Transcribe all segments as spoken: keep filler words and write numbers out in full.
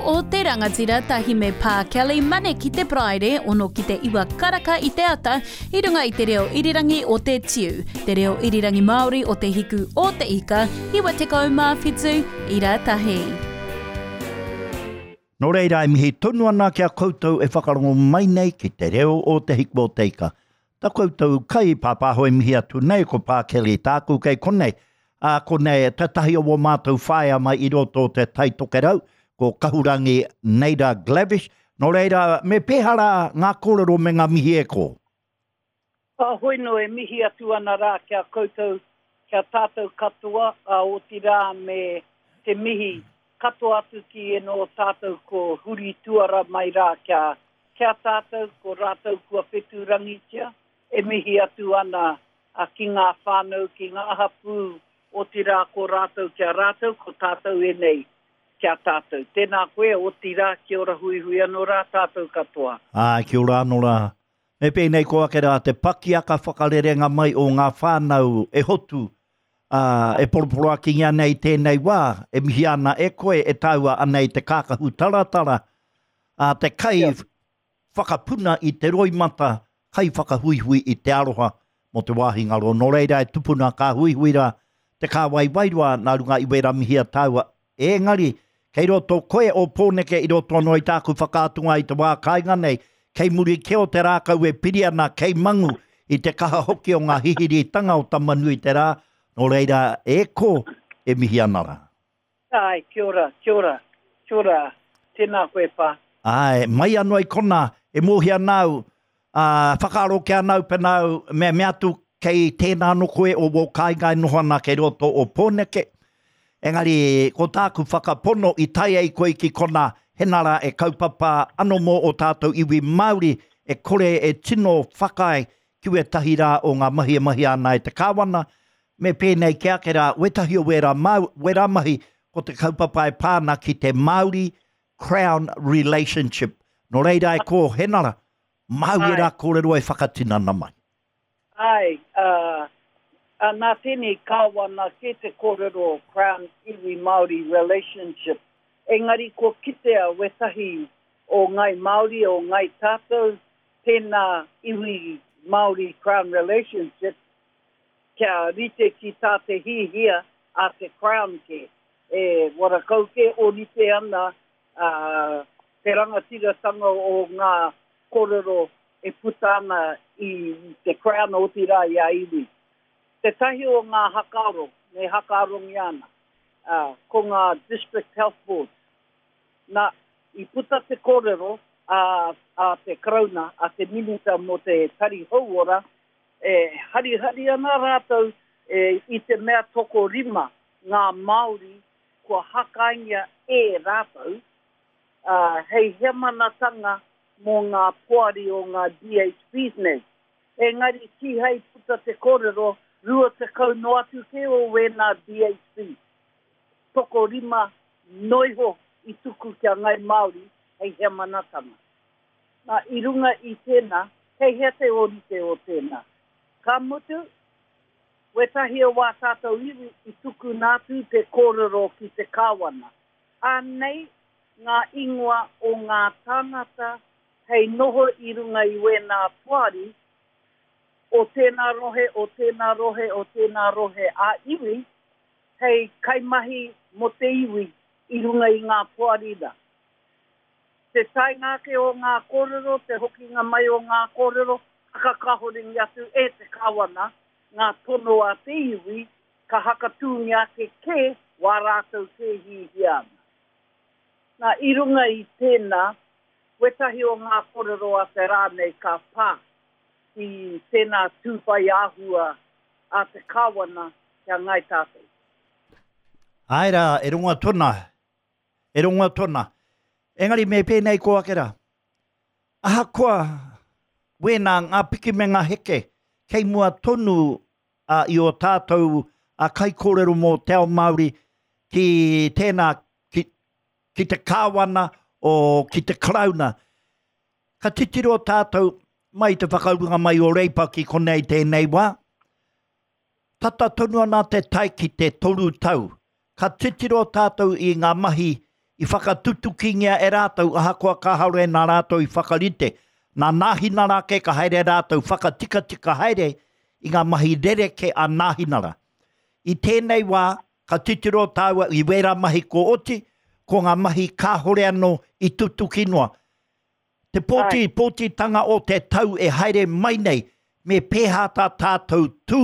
o te Rangatira tahi me Pā Kelly Mane ki te Paraire, ono ki te iwa karaka i te ata, i runga i te reo irirangi o te Tiu, te reo irirangi Māori o te Hiku o te Ika, iwa tekau mā whitu, ira tahi. Nō reira e mihi tonu ana ki a koutou e whakarongo mai nei ki te reo o te Hiku o te Ika. Ta koutou kai pāpāho e mihi atu nei ko Pā Kelly tāku kei konei. Ā, konei tētahi o wō mātou whaea mai i roto o te Tai Tokerau, ko Kahurangi Neira Glavish. Nō reira, me pēhea rā ngā kōrero me ngā mihi e kō? Ka hoi no e mihi atu ana rā ki a koutou, ki a tātou katoa, a otirā me te mihi katoa atu ki eno o tātou ko huri tuara mai rā ki a, ki a tātou, ko rātou kua whetūrangitia, e mihi atu ana a ki ngā whānau, ki ngā hapū, otirā ko rātou ki a rātou, ko tātou enei ki a tātou. Tēnā koe, otirā, kia ora huihui anō rā tātou katoa. Āe, kia ora anō rā. Me pēnei ko ake rā te pakiaka whakarerenga mai o ngā whānau e hotu, ā, e poroporoakingia nei tēnei wā, e mihi ana e koe, e tāua ana i te kākahu taratara, ā, te kai whakapuna i te roimata, kai whakahuihui i te aroha mō te wāhi ngaro. Nō reira e tupuna ka huihui rā te kāwai wairua nā runga i wērā mihi a tāua. Engari, kei roto koe o Pōneke i roto anō i tāku whakaatunga i te wā kāinga nei, kei muri kē o te rākau e piri ana, kei mangu i te kaha hoki o ngā hihiritanga o Tamanuiterā, nō reira e kō e mihi ana rā. Āe, kia ora, kia ora, kia ora, tēnā koe pā. Āe, mai anō i konā, e mōhio ana au, ā, whakaaro ki ana au pēnā au, me, me atu kei tēnā anō koe o wō kāinga e noho ana kei roto o Pōneke. Engari, ko tāku whakapono i tae ai koe ki konā, hena rā e kaupapa anō mō o tātou iwi Māori e kore e tino whakaae ki wētahi rā o ngā mahi e mahia ana e te kāwana, me pēnei ki ake rā, wētahi o wērā, māu, wērā mahi, ko te kaupapa e pā ana ki te Māori Crown Relationship. Nō reira e kō, hena rā, māu ērā kōrero e whakatinana mai. Āe, ā, ā, nā tēnei kāwana kē te kōrero Crown Iwi Māori Relationship, engari kua kitea wētahi o Ngāi Māori, o Ngāi Tātou, tēnā Iwi Māori Crown Relationship, kia rite ki tā te hihia a te Crown kē. E warakau kē ōrite ana, ā, te rangatiratanga o ngā kōrero e puta ana i te Crown otirā i a iwi. Tētahi o ngā hakaaro, me hakaarongia ana, ā, ko ngā District Health Boards. Nā, i puta te kōrero a, a te Karauna, a te Minita mō te Tari Hauora, e harihari ana rātou e, i te mea tokorima ngā Māori kua hakaingia e rātou, ā, hei hemanatanga mō ngā poari o ngā D H Bs nei. Engari kīhai puta te kōrero, rua tekau noa atu kē o wēnā D H B. Tokorima noiho i tuku ki a Ngāi Māori hei hemanatanga. Nā, i runga i tēnā, kei hea te ōrite o tēnā. Ka mutu, wētahi o wā tātou iwi i tuku nātu te kōrero ki te kāwana. Anei ngā ingoa o ngā tāngata hei noho i runga i wēnā poari o tēnā rohe, o tēnā rohe, o tēnā rohe a iwi, hei kaimahi mō te iwi i runga i ngā poari rā. Te taenga ake o ngā kōrero, te hokinga mai o ngā kōrero, hakakahoringi atu e te kāwana, ngā tono a te iwi, ka hakatūngia ake kē wā rātou kē hihia ana. Nā, i runga i tēnā, wētahi o ngā kōrero a te rā nei ka pā ki tēnā tūwhai āhua a te kāwana ki a Ngāi Tātou. Āe rā, e rongo atu ana, e rongo atu ana. Engari me pēnei ko ake rā. Ahakoa wēnā ngā piki me ngā heke, kei mua tonu, ā, i o tātou a kaikōrero mō te ao Māori ki tēnā, ki, ki te kāwana o ki te Karauna. Ka titiro tātou mai te whakaurunga mai o Reipa ki konei tēnei wā. Tata tonu ana te tae ki te toru tau. Ka titiro tātou i ngā mahi i whakatutukingia e rātou ahakoa kāhore nā rātou i whakarite. Nā Nāhinara ke ka haere rātou whakatikatika haere i ngā mahi rereke a Nāhinara. I tēnei wā, ka titiro tāua i wērā mahi ko oti, ko ngā mahi kāhore anō i tutuki noa. Te pōti, pōtitanga o te tau e haere mai nei, me pēhā tā tātou tū,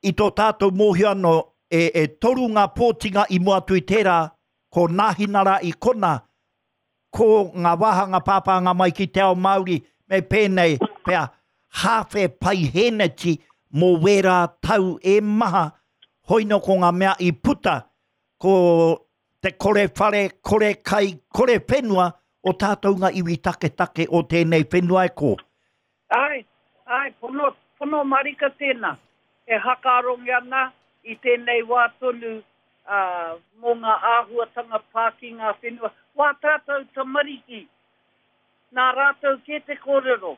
i tō tātou mōhio anō, e, e toru ngā pōtinga i mua atu i tērā, ko Nāhinara i kona, ko ngā wāhanga pāpānga mai ki te ao Māori, me pēnei pea, hāwhe paiheneti mō wērā tau e maha, hoino ko ngā mea i puta, ko te kore whare, kore kai, kore whenua, o tātou ngā iwi taketake o tēnei whenua e ko. Ai, ai, pono, pono marika tēnā. E hakarongi ana i tēnei wā tonu uh, mō ngā āhuatanga pā ki ngā whenua. Wā tātou tamariki, nā rātou ke te kōrero,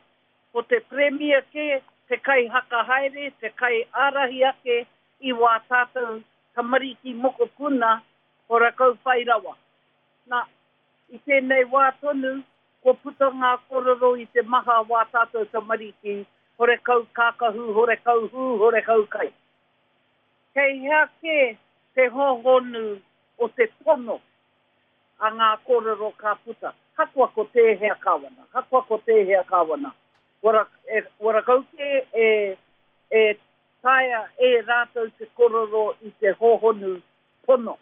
ko te premia ke, te kai hakahaere, te kai ārahi ake i wā tātou tamariki mokopuna o rakau whai rawa. Nā, i tēnei wā tonu, ko puta ngā kōrero i te maha wā tātou tamariki, hore kau kākahu, hore kau hū, hore kau kai. Kei hea ke te hohonu o te pono a ngā kōrero ka puta. Hakoa ko tēhea kāwana, hakoa ko tēhea kāwana. Wara, e, wara kau ke e, e taea e rātou te kōrero i te hohonu pono.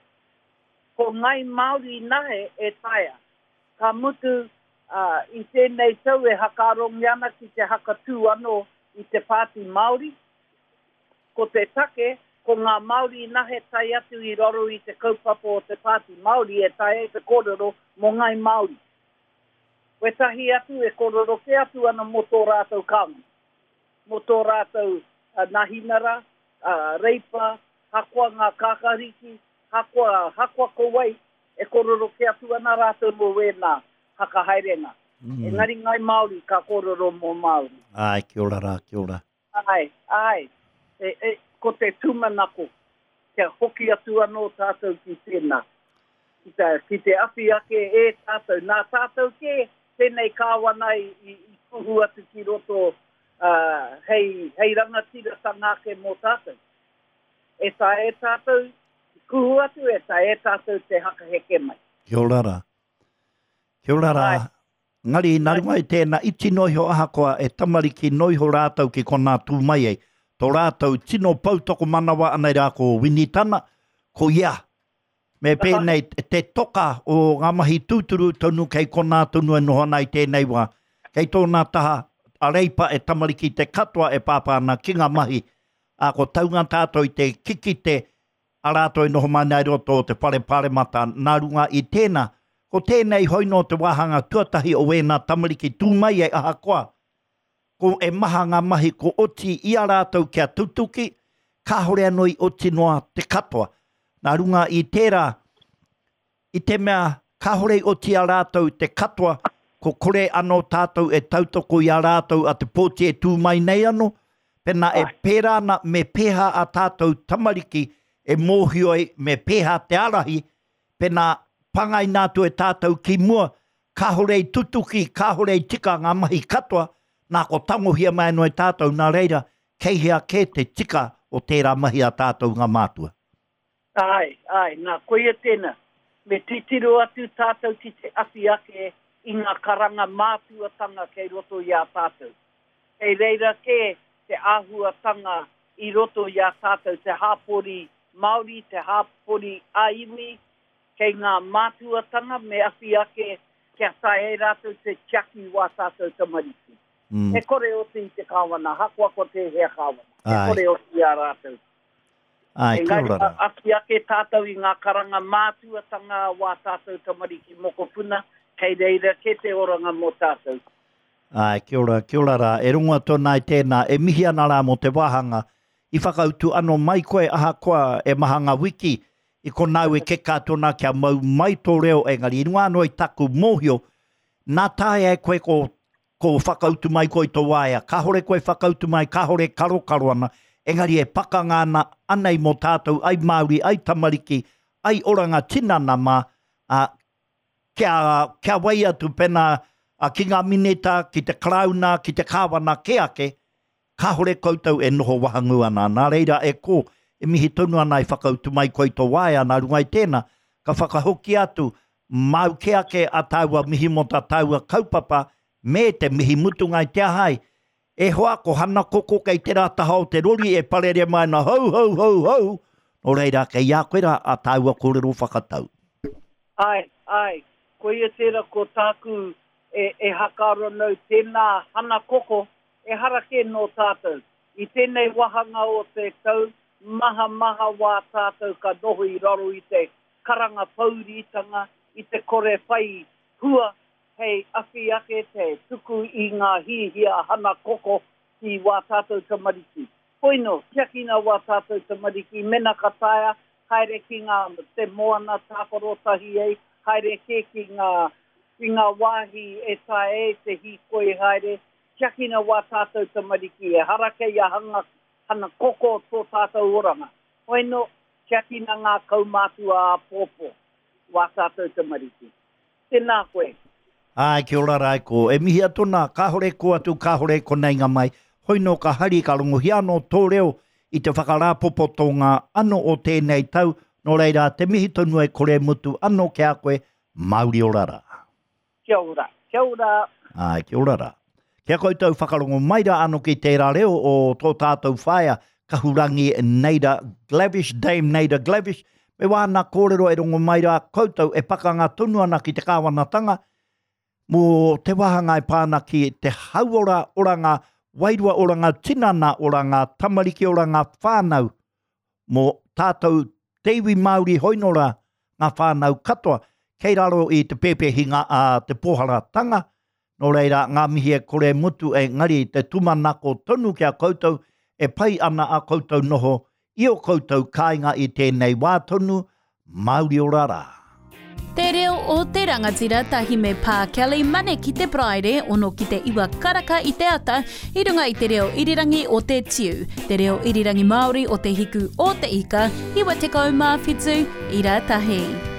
Ko ngai Māori nahe e taea. Ka mutu uh, i tēnei tau e hakarongi ana ki te hakatū anō i te Pāti Māori. Ko te take, ko ngā Māori nahe tae atu i raro i te kaupapa o te Pāti Māori e tae e te kōrero mō ngai Māori. Wetahi atu e kōrero ke atu ana mō tō rātou kāwana, mō tō rātou uh, nahinara, uh, reipa, hakoa ngā kākariki, hakoa, hakoa ko wai, e kōrero ke atu ana rātou mō wēnā hakahaerenga. Mm. Engari ngai Māori ka kōrero mō Māori. Ai, kia ora rā, kia ora. Ai, ai. E, e, ko te tūmanako, kia hoki atu anō tātou ki tēnā. Ki te, ki te awhi ake e tātou. Nā tātou ke, tēnei kāwana i, i, i kuhu atu ki roto uh, hei, hei rangatiratanga ake mō tātou. E tā e tātou, kuhu atu, e tā e tātou te hakaheke mai. Kia ora rā. Kia ora rā. Ngari, nā runga i tēnā, iti noiho ahakoa e tamariki noiho rātou ki konā tū mai ai. Tō rātou tino poutoko manawa anei rā ko Winitana, ko ia. Me pēnei te toka o ngā mahi tūturu tonu kei konā tonu e noho ana i tēnei wā. Kei tōna taha a Reipa e tamariki te katoa e pāpā ana ki ngā mahi. A ko taunga tātou i te kikite a rātou e noho mai nei roto o te whare paremata nā runga i tēnā. Ko tēnei hoino te wāhanga tuatahi o wēnā tamariki tū mai e ahakoa. Ko e maha ngā mahi ko oti i a rātou kia tutuki, kāhore anō i oti noa te katoa. Nā runga i tērā, i te mea kāhore i oti a rātou te katoa, ko kore anō tātou e tautoko i a rātou a te pōti e tū mai nei anō, pēnā e pērā ana me pēhā a tātou tamariki e mōhio ai me pēhā te ārahi, pēnā pangaina atu e tātou ki mua, kāhore i tutuki, kāhore i tika ngā mahi katoa, nā ko tangohia mai anō e tātou nā reira, kei hea ke te tika o tērā mahi a tātou ngā mātua. Ai, ai, nā, koia tēnā. Me titiro atu tātou ki te awhi ake i ngā karanga mātuatanga kei roto i a tātou. Kei reira ke te āhuatanga i roto i a tātou, te hāpori Māori, te hāpori ā-iwi, kei ngā mātuatanga me awhi ake kia tae e rātou te tiaki wā tātou tamariki. Mm. E kore oti i te kāwana, hakoa ko tēhea kāwana. E Ai. kore oti i a rātou. Ai, kia Engari, ora rā. awhi ake tātou i ngā karanga mātuatanga wā tātou tamariki mokopuna, kei reira ke te oranga mō tātou. Ai, kia ora, kia ora rā. E rongo atu ana i tēnā, e mihi ana rā mō te wāhanga. I whakautu anō mai koe ahakoa e maha ngā wiki, i konau e keka atu ana kia mau mai tō reo, engari i runga anō i taku mōhio, nā taea e koe ko, ko whakautu mai koe i tō waea. Kāhore koe whakautu mai, kāhore karokaro ana, engari e pakanga ana, anei mō tātou, ai Māori, ai tamariki, ai oranga tinana mā, ā, kia, kia wai atu pena a, ki ngā minita, ki te Karauna, ki te kāwana kē ake, kāhore koutou e noho wahangū ana. Nā reira e kō, e mihi tonu ana i whakautu mai koe i tō waea, nā runga i tēnā, ka whakahoki atu, māu kē ake a tāua mihi mō tā tāua kaupapa, me te mihi mutunga i te aha ai. E hoa, ko Hana Koko kei tērā taha o te rori e parere mai ana hou, hou, hou, hou, nō reira kei a koe rā a tāua kōrero whakatau. Āe, āe, koia tērā ko tāku e, e hakaaro nau tēnā Hana Koko, ehara kē nō tātou. I tēnei wāhanga o te tau, maha maha wā tātou ka noho i raro i te karanga pōuritanga, i te kore whai hua hei awhi ake te tuku i ngā hiahia hana koko ki wā tātou tamariki. Hoino, tiakina wā tātou tamariki, mena ka taea, haere ki ngā te moana tākaro tahi ai, haere kē ki ngā, ki ngā wāhi e taea ai te hīkoi haere, tiakina wā tātou tamariki, ehara kei a hanga, hana koko tō tātou oranga. Hoino, tiakina ngā kaumātua āpōpō, wā tātou tamariki. Tēnā koe. Āe, kia ora rā e kō. E mihi atu ana, kāhore kō atu, kāhore konei ngā mai. Hoino ka hari, ka rongohia anō tō reo i te whakarāpopotonga anō o tēnei tau, nō reira, te mihi tonu e kore mutu anō ki a koe, mauri ora rā. Kia ora. Kia ora. Āe, kia ora rā. Kia koutou whakarongo mai rā anō ki tērā reo o tō tātou whaea, Kahurangi Naida Glavish, Dame Naida Glavish, me wāna kōrero e rongo mai rā koutou e pakanga tonu ana ki te kāwanatanga, mō te wāhanga e pā ana ki te hauora oranga, wairua oranga, tinana oranga, tamariki oranga, whānau, mō tātou te iwi Māori hoinora ngā whānau katoa, kei raro i te pēpēhinga a te pōharatanga, nō reira ngā mihi e kore mutu engari te tūmanako tonu ki a koutou e pai ana a koutou noho i o koutou kāinga i tēnei wā tonu, mauri ora rā. Te reo o te rangatira tahi me Pā Kelly Mane ki te Paraire, ono ki te iwa karaka i te ata, i runga i te reo irirangi o te Tiu, te reo irirangi Māori o te hiku o te ika, iwa tekau mā whitu, ira tahi.